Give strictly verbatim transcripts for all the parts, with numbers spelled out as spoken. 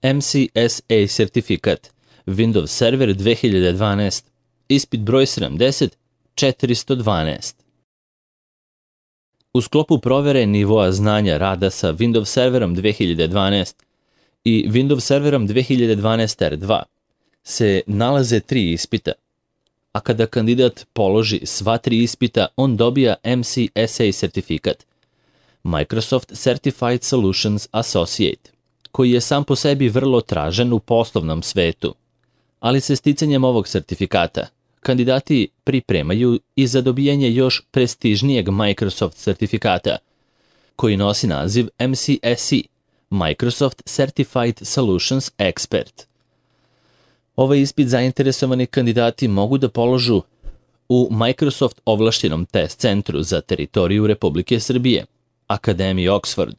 M C S A sertifikat, Windows Server dve hiljade dvanaest, ispit broj sedamdeset četiristo dvanaest. U sklopu provere nivoa znanja rada sa Windows Serverom dve hiljade dvanaest i Windows Serverom dve hiljade dvanaest R dva se nalaze tri ispita, a kada kandidat položi sva tri ispita, on dobija M C S A sertifikat, Microsoft Certified Solutions Associate, koji je sam po sebi vrlo tražen u poslovnom svetu, ali se sticanjem ovog sertifikata kandidati pripremaju i za dobijanje još prestižnijeg Microsoft sertifikata, koji nosi naziv M C S E, Microsoft Certified Solutions Expert. Ovaj ispit zainteresovani kandidati mogu da položu u Microsoft ovlaštenom test centru za teritoriju Republike Srbije, Akademiji Oxford.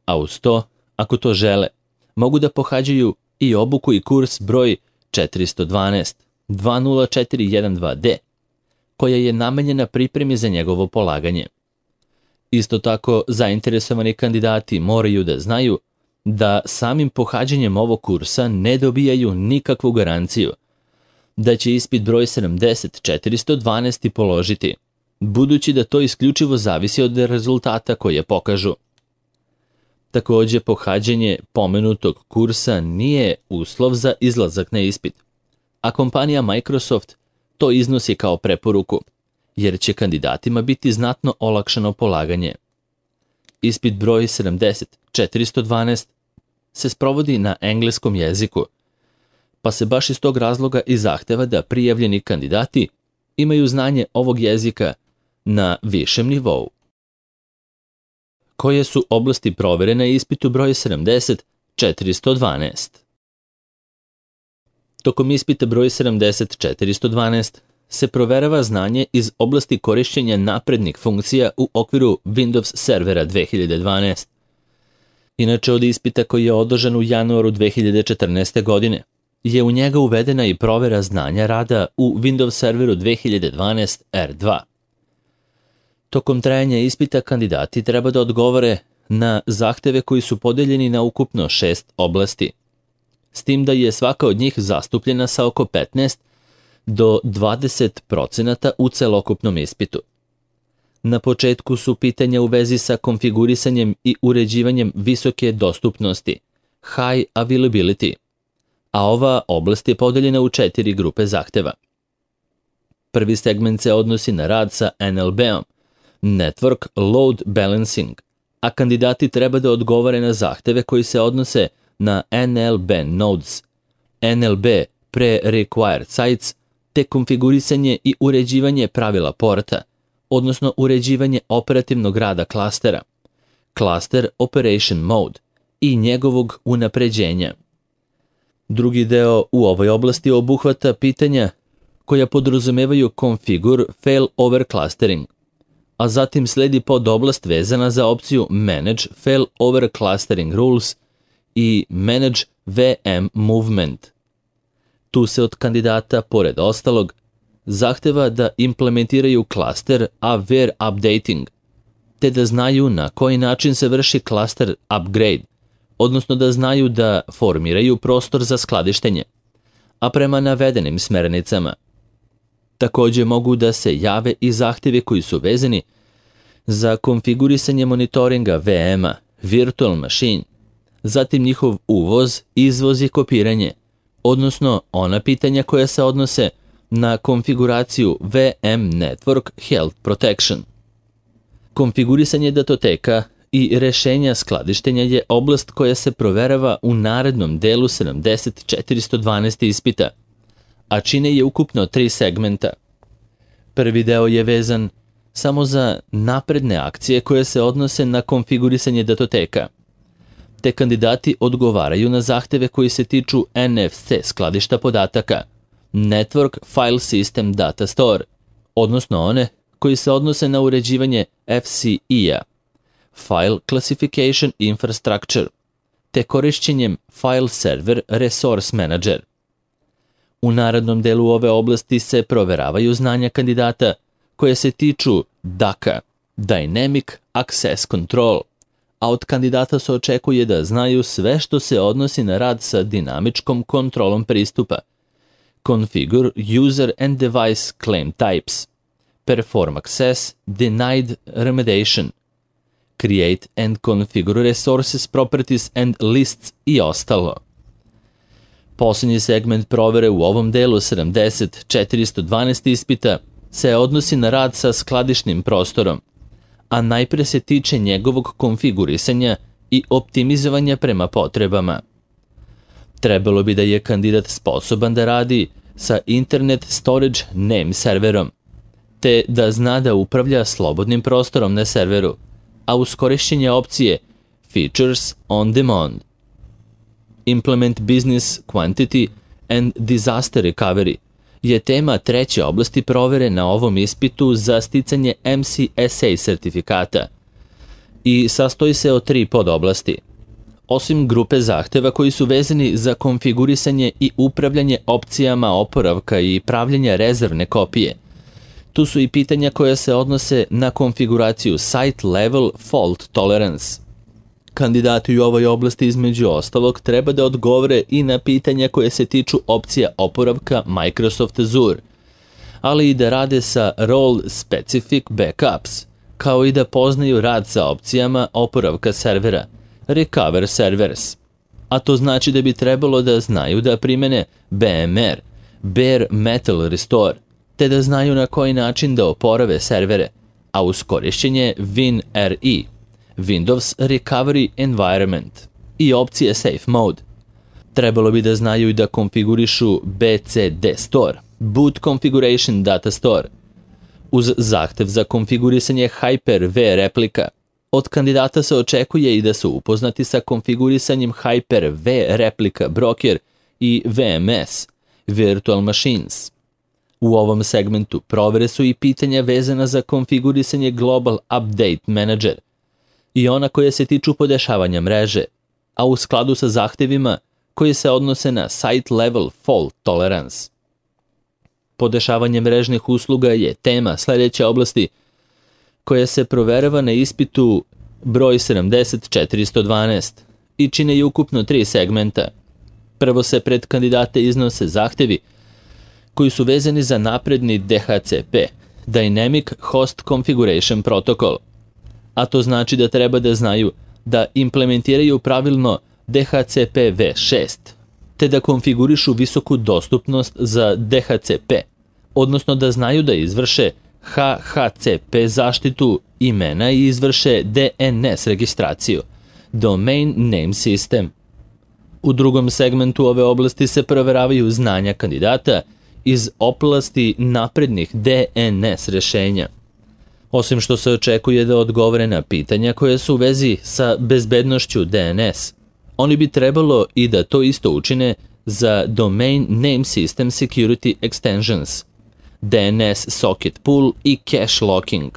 A uz to, ako to žele, mogu da pohađaju i obuku i kurs broj četiristo dvanaest dva nula četiri jedan dva D, koja je namenjena pripremi za njegovo polaganje. Isto tako, zainteresovani kandidati moraju da znaju da samim pohađanjem ovog kursa ne dobijaju nikakvu garanciju da će ispit broj sedamdeset četiristo dvanaest položiti, budući da to isključivo zavisi od rezultata koje pokažu. Takođe, pohađanje pomenutog kursa nije uslov za izlazak na ispit, a kompanija Microsoft to iznosi kao preporuku, jer će kandidatima biti znatno olakšano polaganje. Ispit broj sedamdeset četiristo dvanaest se sprovodi na engleskom jeziku, pa se baš iz tog razloga i zahteva da prijavljeni kandidati imaju znanje ovog jezika na višem nivou. Koje su oblasti provere na ispitu broj sedamdeset četiristo dvanaest? Tokom ispita broj sedamdeset četiristo dvanaest se proverava znanje iz oblasti korišćenja naprednih funkcija u okviru Windows Servera dve hiljade dvanaest. Inače, od ispita koji je održan u januaru dve hiljade četrnaeste. godine, je u njega uvedena i provera znanja rada u Windows Serveru dve hiljade dvanaest R dva. Tokom trajanja ispita kandidati treba da odgovore na zahteve koji su podeljeni na ukupno šest oblasti, s tim da je svaka od njih zastupljena sa oko petnaest do dvadeset procenata u celokupnom ispitu. Na početku su pitanja u vezi sa konfigurisanjem i uređivanjem visoke dostupnosti, high availability, a ova oblast je podeljena u četiri grupe zahteva. Prvi segment se odnosi na rad sa N L B-om, Network Load Balancing, a kandidati treba da odgovore na zahteve koji se odnose na N L B nodes, N L B pre-required sites, te konfigurisanje i uređivanje pravila porta, odnosno uređivanje operativnog rada klastera, Cluster Operation Mode i njegovog unapređenja. Drugi deo u ovoj oblasti obuhvata pitanja koja podrazumevaju Configure Failover Clustering, a zatim sledi podoblast vezana za opciju Manage Failover Clustering Rules i Manage V M Movement. Tu se od kandidata, pored ostalog, zahteva da implementiraju klaster aware updating, te da znaju na koji način se vrši klaster upgrade, odnosno da znaju da formiraju prostor za skladištenje, a prema navedenim smernicama. Takođe mogu da se jave i zahtjevi koji su vezani za konfigurisanje monitoringa V M-a, virtual machine, zatim njihov uvoz, izvoz i kopiranje, odnosno ona pitanja koja se odnose na konfiguraciju V M Network Health Protection. Konfigurisanje datoteka i rešenja skladištenja je oblast koja se proverava u narednom delu sedamdeset četiristo dvanaest ispita, a čine je ukupno tri segmenta. Prvi deo je vezan samo za napredne akcije koje se odnose na konfigurisanje datoteka, te kandidati odgovaraju na zahteve koji se tiču N F C skladišta podataka, Network File System Data Store, odnosno one koji se odnose na uređivanje F C I-a, File Classification Infrastructure, te korišćenjem File Server Resource Manager. U narednom delu ove oblasti se proveravaju znanja kandidata koje se tiču D A C-a, Dynamic Access Control, a od kandidata se očekuje da znaju sve što se odnosi na rad sa dinamičkom kontrolom pristupa. Configure user and device claim types. Perform access, denied remediation. Create and configure resources, properties and lists i ostalo. Posljednji segment provere u ovom delu sedamdeset četiristo dvanaest ispita se odnosi na rad sa skladišnim prostorom, a najpre se tiče njegovog konfigurisanja i optimizovanja prema potrebama. Trebalo bi da je kandidat sposoban da radi sa Internet Storage Name serverom, te da zna da upravlja slobodnim prostorom na serveru, a uz korišćenje opcije Features on Demand. Implement Business Quantity and Disaster Recovery je tema treće oblasti provere na ovom ispitu za sticanje M C S A sertifikata i sastoji se od tri podoblasti. Osim grupe zahteva koji su vezani za konfigurisanje i upravljanje opcijama oporavka i pravljenja rezervne kopije, tu su i pitanja koja se odnose na konfiguraciju Site Level Fault Tolerance. Kandidati u ovoj oblasti između ostalog treba da odgovore i na pitanja koje se tiču opcija oporavka Microsoft Azure, ali i da rade sa Role Specific Backups, kao i da poznaju rad sa opcijama oporavka servera, Recover Servers. A to znači da bi trebalo da znaju da primene B M R, Bare Metal Restore, te da znaju na koji način da oporave servere, a uz korišćenje WinRE, Windows Recovery Environment i opcije Safe Mode. Trebalo bi da znaju i da konfigurišu B C D Store, Boot Configuration Data Store, uz zahtev za konfigurisanje Hyper-V replika. Od kandidata se očekuje i da su upoznati sa konfigurisanjem Hyper-V replika broker i V M S, Virtual Machines. U ovom segmentu provere su i pitanja vezana za konfigurisanje Global Update Manager i ona koje se tiču podešavanja mreže, a u skladu sa zahtevima koji se odnose na Site Level Fault Tolerance. Podešavanje mrežnih usluga je tema sljedeće oblasti koja se proverava na ispitu broj sedamdeset četiristo dvanaest i čine i ukupno tri segmenta. Prvo se pred kandidate iznose zahtevi koji su vezani za napredni D H C P, Dynamic Host Configuration Protocol, a to znači da treba da znaju da implementiraju pravilno D H C P V šest, te da konfigurišu visoku dostupnost za D H C P, odnosno da znaju da izvrše H H C P zaštitu imena i izvrše D N S registraciju, Domain Name System. U drugom segmentu ove oblasti se proveravaju znanja kandidata iz oblasti naprednih D N S rešenja. Osim što se očekuje da odgovore na pitanja koje su u vezi sa bezbednošću D N S, oni bi trebalo i da to isto učine za Domain Name System Security Extensions, D N S Socket Pool i Cache Locking.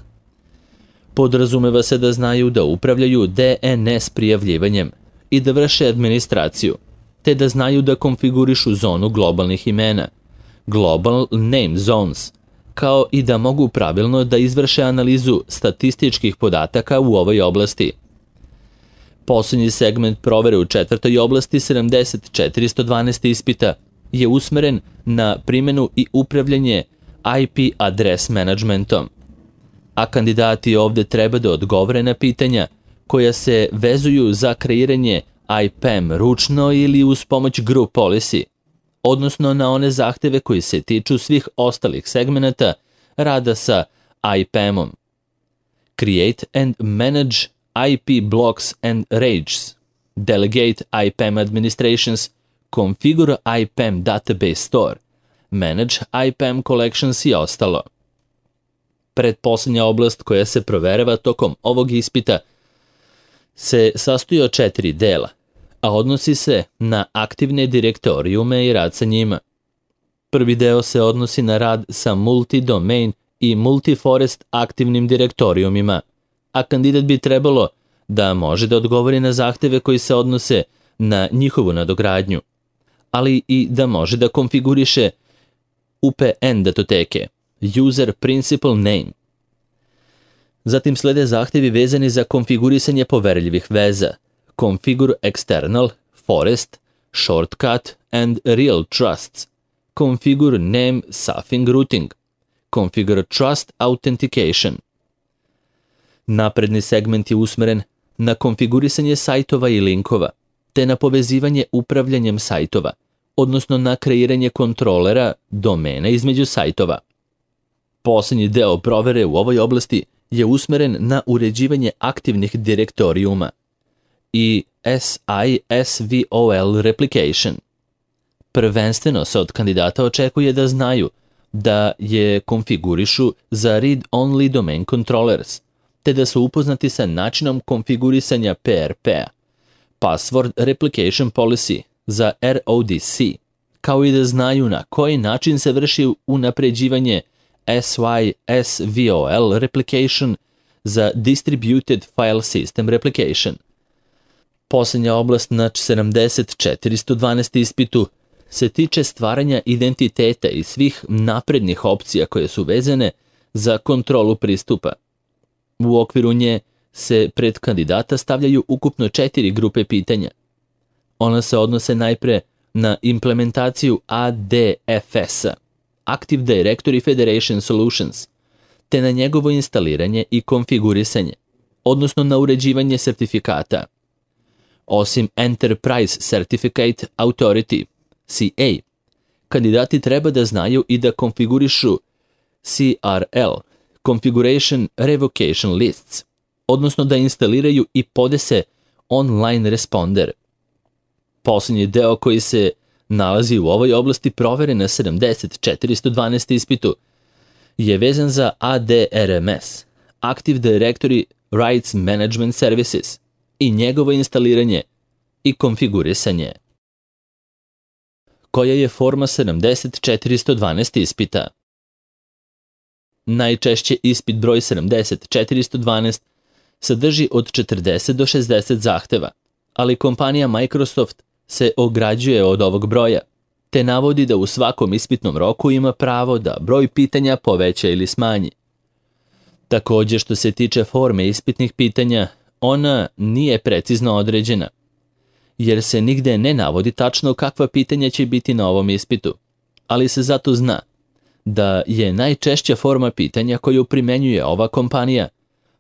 Podrazumeva se da znaju da upravljaju D N S prijavljivanjem i da vrše administraciju, te da znaju da konfigurišu zonu globalnih imena, Global Name Zones, kao i da mogu pravilno da izvrše analizu statističkih podataka u ovoj oblasti. Posljednji segment provere u četvrtoj oblasti sedamdeset četiristo dvanaest ispita je usmeren na primjenu i upravljanje I P adres managementom, a kandidati ovde treba da odgovore na pitanja koja se vezuju za kreiranje I P A M ručno ili uz pomoć Group Policy, odnosno na one zahteve koji se tiču svih ostalih segmenata rada sa I P A M-om. Create and manage I P blocks and ranges, delegate I P A M administrations, configure I P A M database store, manage I P A M collections i ostalo. Pretposlednja oblast koja se proverava tokom ovog ispita se sastoji od četiri dela, a odnosi se na aktivne direktorijume i rad sa njima. Prvi deo se odnosi na rad sa multi-domain i multi-forest aktivnim direktorijumima, a kandidat bi trebalo da može da odgovori na zahteve koji se odnose na njihovu nadogradnju, ali i da može da konfiguriše U P N datoteke, User Principal Name. Zatim slede zahtjevi vezani za konfigurisanje poverljivih veza, Configure External, Forest, Shortcut and Real Trusts, Configure Name Suffing Routing, Configure Trust Authentication. Napredni segment je usmeren na konfigurisanje sajtova i linkova, te na povezivanje upravljanjem sajtova, odnosno na kreiranje kontrolera domena između sajtova. Posljednji deo provere u ovoj oblasti je usmeren na uređivanje aktivnih direktorijuma i S I S V O L replication. Prvenstveno se od kandidata očekuje da znaju da je konfigurišu za read-only domain controllers, te da su upoznati sa načinom konfigurisanja P R P-a, Password Replication Policy za R O D C, kao i da znaju na koji način se vrši unapređivanje S Y S V O L replication za Distributed File System Replication. Posljednja oblast na sedamdeset četiristo dvanaest ispitu se tiče stvaranja identiteta i svih naprednih opcija koje su vezane za kontrolu pristupa. U okviru nje se pred kandidata stavljaju ukupno četiri grupe pitanja. Ona se odnose najpre na implementaciju A D F S-a, Active Directory Federation Solutions, te na njegovo instaliranje i konfigurisanje, odnosno na uređivanje sertifikata. Osim Enterprise Certificate Authority, C A, kandidati treba da znaju i da konfigurišu C R L, Configuration Revocation Lists, odnosno da instaliraju i podese online responder. Posljednji deo koji se nalazi u ovoj oblasti provere na sedamdeset četiristo dvanaest ispitu je vezan za A D R M S, Active Directory Rights Management Services, i njegovo instaliranje i konfigurisanje. Koja je forma sedamdeset četiristo dvanaest ispita? Najčešće ispit broj sedamdeset četiristo dvanaest sadrži od četrdeset do šezdeset zahteva, ali kompanija Microsoft se ograđuje od ovog broja, te navodi da u svakom ispitnom roku ima pravo da broj pitanja poveća ili smanji. Također, što se tiče forme ispitnih pitanja, ona nije precizno određena, jer se nigde ne navodi tačno kakva pitanja će biti na ovom ispitu, ali se zato zna da je najčešća forma pitanja koju primenjuje ova kompanija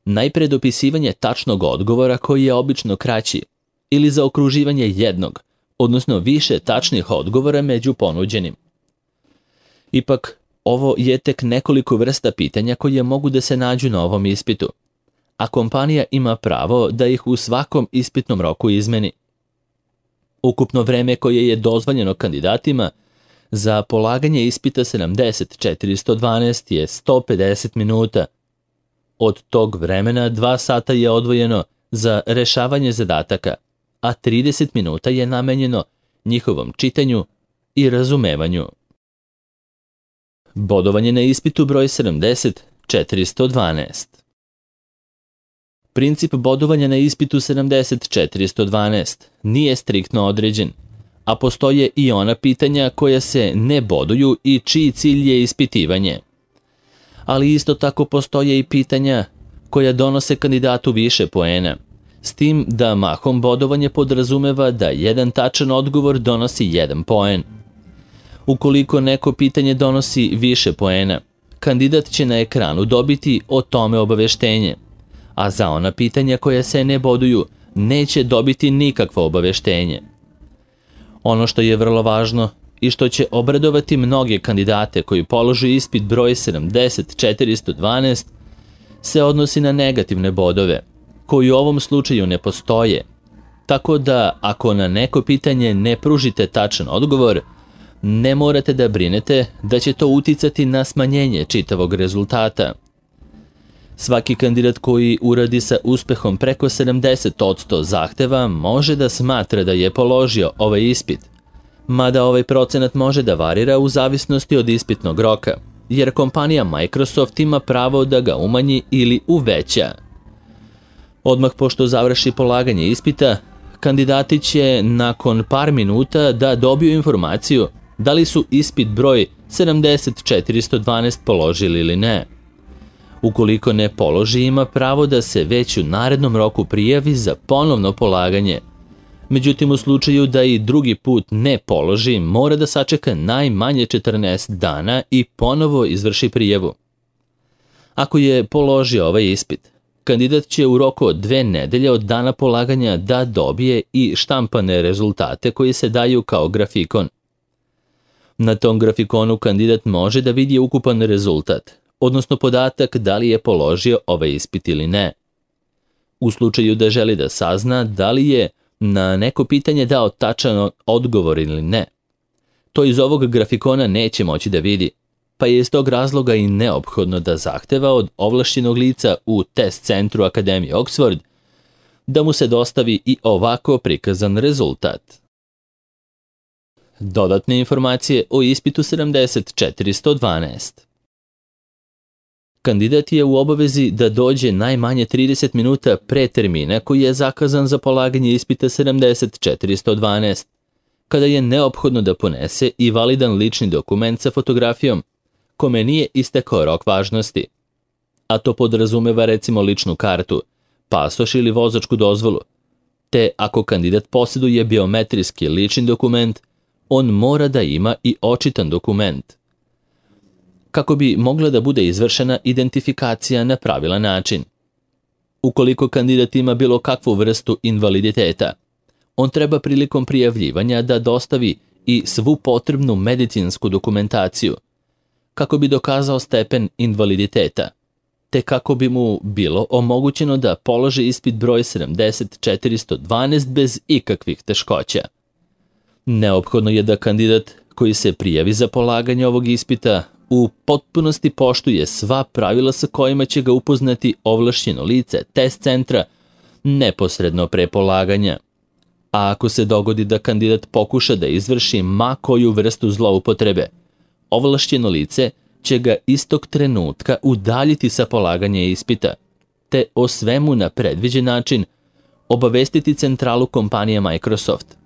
najpre dopisivanje tačnog odgovora koji je obično kraći, ili zaokruživanje jednog, odnosno više tačnih odgovora među ponuđenim. Ipak, ovo je tek nekoliko vrsta pitanja koje mogu da se nađu na ovom ispitu, a kompanija ima pravo da ih u svakom ispitnom roku izmeni. Ukupno vreme koje je dozvoljeno kandidatima za polaganje ispita sedamdeset četiristo dvanaest je sto pedeset minuta. Od tog vremena dva sata je odvojeno za rešavanje zadataka, a trideset minuta je namenjeno njihovom čitanju i razumevanju. Bodovanje na ispitu broj sedamdeset četiristo dvanaest. Princip bodovanja na ispitu sedamdeset četiristo dvanaest nije striktno određen, a postoje i ona pitanja koja se ne boduju i čiji cilj je ispitivanje. Ali isto tako postoje i pitanja koja donose kandidatu više poena, s tim da mahom bodovanje podrazumeva da jedan tačan odgovor donosi jedan poen. Ukoliko neko pitanje donosi više poena, kandidat će na ekranu dobiti o tome obaveštenje, a za ona pitanja koja se ne boduju neće dobiti nikakvo obaveštenje. Ono što je vrlo važno i što će obradovati mnoge kandidate koji položu ispit broj sedamdeset četiristo dvanaest se odnosi na negativne bodove, koji u ovom slučaju ne postoje, tako da ako na neko pitanje ne pružite tačan odgovor, ne morate da brinete da će to uticati na smanjenje čitavog rezultata. Svaki kandidat koji uradi sa uspehom preko sedamdeset posto zahteva može da smatra da je položio ovaj ispit, mada ovaj procenat može da varira u zavisnosti od ispitnog roka, jer kompanija Microsoft ima pravo da ga umanji ili uveća. Odmah pošto završi polaganje ispita, kandidati će nakon par minuta da dobiju informaciju da li su ispit broj sedamdeset četiristo dvanaest položili ili ne. Ukoliko ne položi, ima pravo da se već u narednom roku prijavi za ponovno polaganje. Međutim, u slučaju da i drugi put ne položi, mora da sačeka najmanje četrnaest dana i ponovo izvrši prijavu. Ako je položio ovaj ispit, kandidat će u roku od dve nedelje od dana polaganja da dobije i štampane rezultate koji se daju kao grafikon. Na tom grafikonu kandidat može da vidi ukupan rezultat, odnosno podatak da li je položio ovaj ispit ili ne. U slučaju da želi da sazna da li je na neko pitanje dao tačan odgovor ili ne, to iz ovog grafikona neće moći da vidi, pa je iz tog razloga i neophodno da zahteva od ovlašćenog lica u test centru Akademije Oxford da mu se dostavi i ovako prikazan rezultat. Dodatne informacije o ispitu sedamdeset četiristo dvanaest. Kandidat je u obavezi da dođe najmanje trideset minuta pre termina koji je zakazan za polaganje ispita sedamdeset četiristo dvanaest, kada je neophodno da ponese i validan lični dokument sa fotografijom, kome nije istekao rok važnosti, a to podrazumeva recimo ličnu kartu, pasoš ili vozačku dozvolu, te ako kandidat posjeduje biometrijski lični dokument, on mora da ima i očitan dokument, kako bi mogla da bude izvršena identifikacija na pravilan način. Ukoliko kandidat ima bilo kakvu vrstu invaliditeta, on treba prilikom prijavljivanja da dostavi i svu potrebnu medicinsku dokumentaciju, kako bi dokazao stepen invaliditeta, te kako bi mu bilo omogućeno da položi ispit broj sedamdeset četiristo dvanaest bez ikakvih teškoća. Neophodno je da kandidat koji se prijavi za polaganje ovog ispita u potpunosti poštuje sva pravila sa kojima će ga upoznati ovlašćeno lice test centra neposredno pre polaganja. A ako se dogodi da kandidat pokuša da izvrši ma koju vrstu zloupotrebe, ovlašćeno lice će ga istog trenutka udaljiti sa polaganja ispita, te o svemu na predviđen način obavestiti centralu kompanije Microsoft.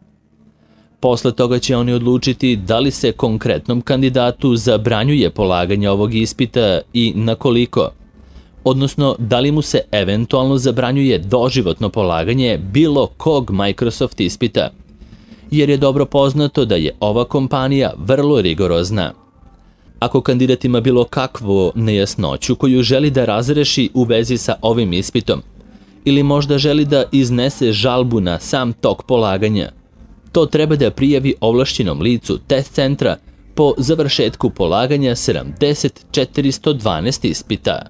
Posle toga će oni odlučiti da li se konkretnom kandidatu zabranjuje polaganje ovog ispita i na koliko, odnosno da li mu se eventualno zabranjuje doživotno polaganje bilo kog Microsoft ispita, jer je dobro poznato da je ova kompanija vrlo rigorozna. Ako kandidat ima bilo kakvu nejasnoću koju želi da razreši u vezi sa ovim ispitom, ili možda želi da iznese žalbu na sam tok polaganja, to treba da prijavi ovlašćenom licu test centra po završetku polaganja sedamdeset četiristo dvanaest ispita.